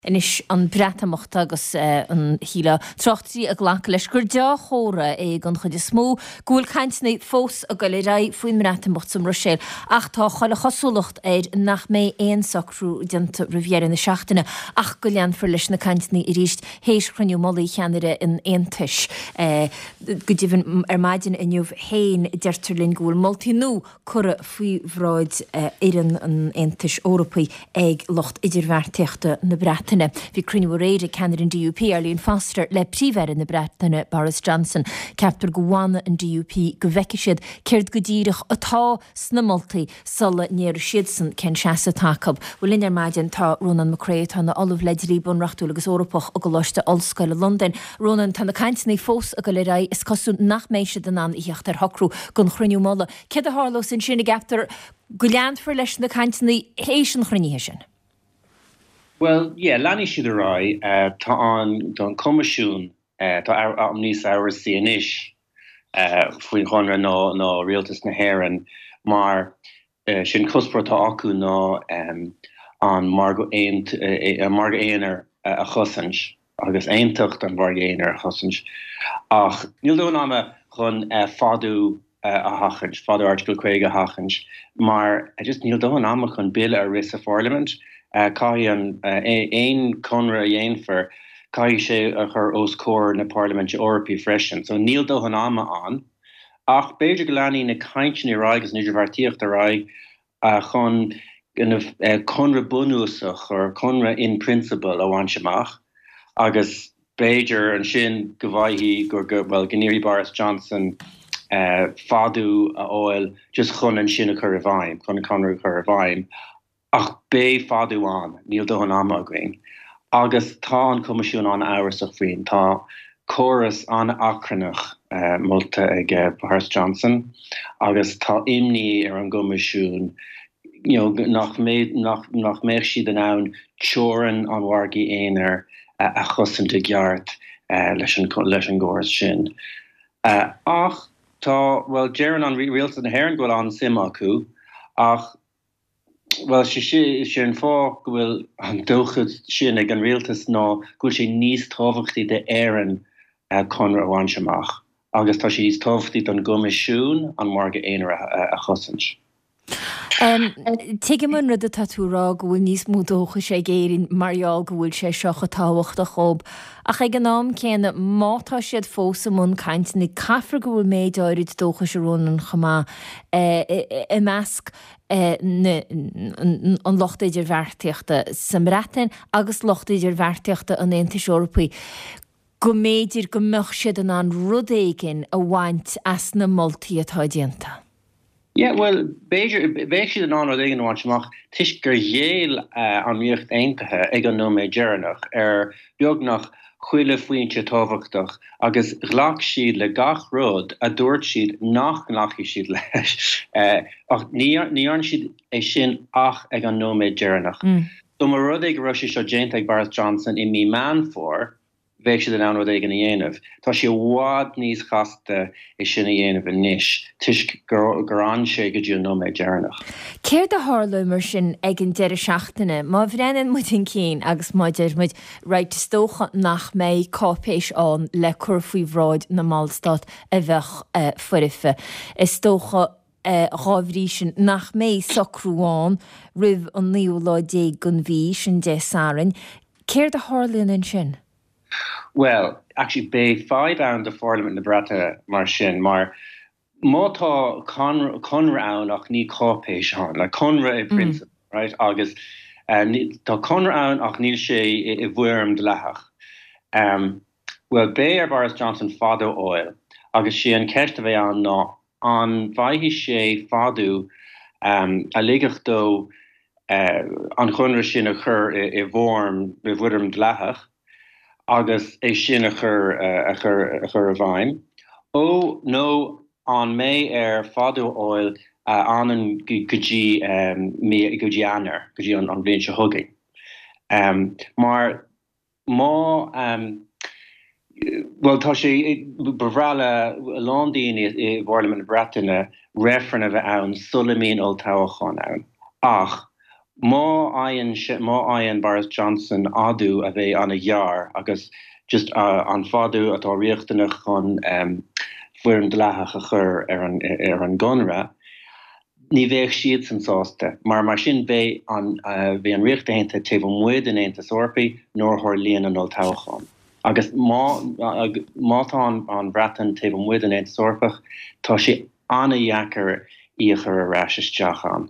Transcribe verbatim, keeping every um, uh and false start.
Anois an Breatimeacht agus an shílfeá tráchtairí ag glacadh leis gur dea-chomhartha é don chuid is mó go bhfuil cainteanna fós ag goil ar aghaidh faoin mBreatimeacht sa mBruiséil ach tá chuile chosúlacht air nach mbeidh aon socrú déanta roimh dheireadh na seachtaine ach go leanfar leis na cainteanna arís théis chruinniú mullaigh cheannairí an Aontais. Go deimhin ar maidin inniu féin deirtear linn go bhfuil moltaí nua curtha faoi bhráid fhoireann an Aontais Eorpaigh ag lucht idirbheartaíochta na Breataine. Bhí cruinniú aréir ag ceannaire an DUP Arlene Foster le Príomh-Aire na Breataine Boris Johnson. Ceaptar go bhfanfaidh an DUP go bhfeicfidh siad céard go díreach atá sna moltaí sula ndéarfaidh siadsan cén seasamh atá acu. Bhuel linn ar maidin tá Rónán Mac Craith atá ina ollamh le dlí bunreachtúil agus Eorpach i gColáiste Ollscoile Londain. Rónán tá na cainteanna fós ag goil ar aghaidh is cosúil nach mbeidh siad in ann a theacht ar shocrú don chruinniú mullaigh. Céard a tharlós ansin an gceaptar go leanfar leis na cainteanna théis an chruinnithe sin. Well, yeah, leanfaidh siad ar aghaidh uh, tá an don Coimisiún uh, tá am níos amhrasaí anois uh, faoin chonradh ná ná rialtas na hÉireann mar uh, sin cuspóir atá acu ná um, an margadh uh, margadh aonair a chosaint agus aontacht an mhargaidh aonair a chosaint. Ach níl dóthain ama chun uh, fadú uh, a sheachaint, fadú Article caoga a sheachaint, mar uh, just níl dóthain ama chun bille a rith sa Pharliament, uh, caithfidh an uh, aon conradh a dhéanfar, caithfidh sé a chur os comhair na Parlaiminte Eorpaí freisin. So níl dóthain ama ann, ach b'fhéidir go leanfaidh na cainteanna ar aghaidh agus an idirbheartaíocht ar aghaidh uh, chun uh, conradh bunúsach or conradh in principle a bhaint amach agus b'fhéidir ansin go bhfaighidh gur go well go n-iarrfaidh Boris Johnson uh, fadú a fháil just chun an sin a chur i bhfeidhm chun an conradh a chur i bhfeidhm ach beidh fadú ann níl dóthain ama againn. Agus tá an Coimisiún an-amhrasach faoin tá córas an-achrannach uh, molta ag uh, Boris Johnson agus tá imní ar an gCoimisiún you know, nach mé nach, nach mbeidh siad in ann teorainn an mhargaidh aonair uh, a chosaint i gceart uh, leis an leis an gcóras sin. Uh, ach tá well deireann an rialtas na hÉireann go bhfuil an-suim acu ach well sé sé an fáth go bhfuil an dóchas sin ag an rialtas ná go bhfuil sé níos tábhachtaí d'Éirinn uh, conradh a bhaint amach agus tá sé níos tábhachtaí don gCoimisiún an margadh aonair a, a chosaint. Um, Tuigim an rud atá tú rá go bhfuil níos mó dóchais ag Éirinn mar gheall go bhfuil sé seo chomh tábhachtach dóibh. Ach ag an am céanna má tá siad fós i mbun cainteanna caithfidh go bhfuil méid áirid dóchais a Rónáin chomh maith i measc an lucht idirbheartaíochta sa mBreatain agus lucht idirbheartaíochta an Aontais Eorpaigh. Go mb'fhéidir go mbeadh siad in ann rud éigin a bhaint as na moltaí atá déanta. Yeah, well b'fhéidir bheadh siad in ann rud éigin a bhaint amach toisc gur ghéill uh, an Ríocht Aontaithe ag an nóiméad deireanach ar beagnach chuile phointe tábhachtach agus ghlac siad le gach rud a dúirt siad nach nglacfaidh siad leis uh, ach ní dhearna siad é sin ach ag an nóiméad deireanach. Mm. Dá mba rud é go raibh sé seo déanta ag Boris Johnson i mí Meán Fómhair, bheadh siad in ann rud éigin a dhéanamh. Tá sé i bhfad níos casta é sin a dhéanamh anois toisc gur gur fhan sé go dtí an nóiméad deireanach. Céard a tharlóidh mar sin ag an deireadh seachtaine, má bhreathnaíonn muid chun cinn agus má deir muid right is dócha nach mbeidh cáipéis ann le cur faoi bhráid na mBallstát a bheadh uh, foirfe. Is dócha uh, dá bhrí sin nach mbeidh socrú ann roimh an naoú lá déag den mhí sin Dé Sathairn. Céard a tharlaíonn ansin? Well, actually beidh fadhb ann do Pharlaimint na Breataine mar sin mar má tá conradh ann ach ní cáipéis ann, le conradh i principle, mm. right? agus uh, tá conradh ann ach níl sé i, i bhfoirm dleathach. Um, well beidh ar Boris Johnson fadú a fháil agus sé an ceist a bheidh ann ná an bhfaighidh sé fadú um, a ligfeadh dó uh, an conradh sin a chur i, i bhfoirm i bhfoirm dleathach agus é sin a chur uh, a chur a chur i bhfeidhm. Ó nó an mbeidh air fadú a fháil uh, an go dtí um, go dtí Eanáir go dtí an, an bhliain seo chugainn. Um, mar má um, well tá sé ba bhreá le a lán daoine i bParlaimint na Breataine reifreann a bheith ann sula mbíonn olltoghchán ann. Ach Má fhaigheann má fhaigheann Boris Johnson fadú a bheidh an-ghearr agus just an fadú atá riachtanach chun foirm dleathach a chur ar an ar an gconradh, ní bheadh siadsan sásta, mar mar sin beidh an bheidh an Ríocht Aontaithe taobh amuigh den Aontas Eorpaigh nuair a tharlaíonn an olltoghchán. Agus má má tá an Bhreatain taobh amuigh den Aontas Eorpach, tá sé an-dheacair í a chur ar ais isteach ann.